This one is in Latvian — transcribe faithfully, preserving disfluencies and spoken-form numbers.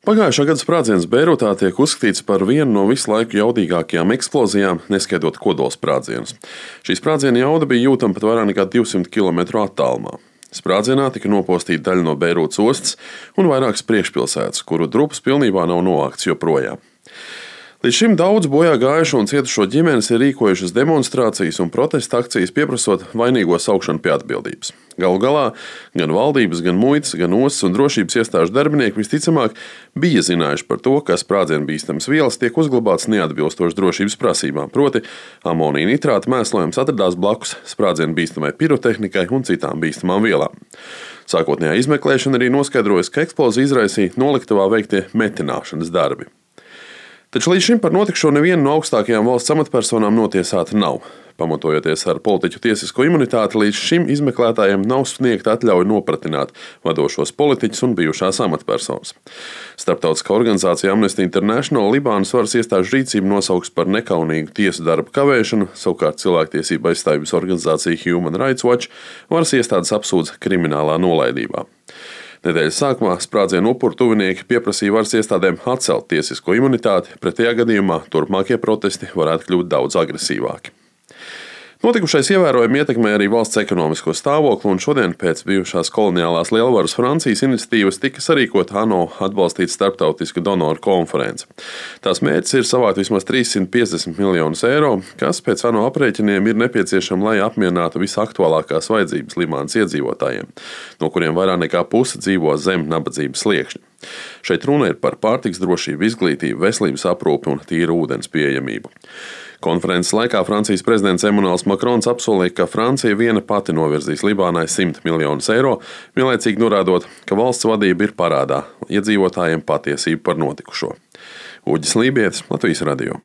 Pagājušā gada sprādziens Beirutā tiek uzskatīts par vienu no visu laiku jaudīgākajām eksplozijām, neskaitot kodolsprādzienus. Šī sprādziena jauda bija jūtama pat vairāk nekā divsimt kilometru attālumā. Sprādzienā tika nopostīta daļa no Beirutas ostas un vairākas priekšpilsētas, kuru drupas pilnībā nav novāktas joprojām. Līdz šim daudz bojā gājušo un cietušo ģimenes ir rīkojušas demonstrācijas un protesta akcijas, pieprasot vainīgo saukšanu pie atbildības. Galu galā gan valdības, gan muitas, gan ostas un drošības iestāžu darbinieki visticamāk bija zinājuši par to, ka sprādzienu bīstamas vielas tiek uzglabātas neatbilstoši drošības prasībām, proti amonija nitrāta mēslojums atradās blakus sprādzienu bīstamai pirotehnikai un citām bīstamām vielām. Sākotnējā izmeklēšana arī noskaidrojusi, ka eksploziju izraisīja noliktavā veiktie metināšanas darbi. Taču līdz šim par notikušo neviena no augstākajām valsts amatpersonām notiesāta nav. Pamatojoties ar politiķu tiesisko imunitāti, līdz šim izmeklētājiem nav sniegta atļauja nopratināt vadošos politiķus un bijušās amatpersonas. Starptautiskā organizācija Amnesty International Libānas varas iestāžu rīcību nosauks par nekaunīgu tiesu darbu kavēšanu, savukārt cilvēktiesība aizstāvības organizācija Human Rights Watch varas iestādes apsūdz kriminālā nolaidībā. Nedēļas sākumā sprādzienu upuru tuvinieki pieprasīja varas iestādēm atcelt tiesisko imunitāti, pretējā gadījumā turpmākie protesti varētu kļūt daudz agresīvāki. Notikušais ievērojami ietekmē arī valsts ekonomisko stāvokli, un šodien pēc bijušās koloniālās lielvaras Francijas iniciatīvas tika sarīkota ANO atbalstīta starptautiska donoru konference. Tās mērķis ir savākt vismaz trīssimt piecdesmit miljonus eiro, kas pēc ANO aprēķiniem ir nepieciešama, lai apmierinātu visaktuālākās vajadzības Libānas iedzīvotājiem, no kuriem vairāk nekā puse dzīvo zem nabadzības sliekšņa. Šeit runa ir par pārtikas drošību, izglītību, veselības aprūpi un tīru ūdens pieejamību. Konferences laikā Francijas prezidents Emmanuels Macrons apsolīja, ka Francija viena pati novirzīs Libānai simt miljonus eiro, vienlaicīgi norādot, ka valsts vadība ir parādā iedzīvotājiem patiesību par notikušo. Uģis Lībietis, Latvijas radio.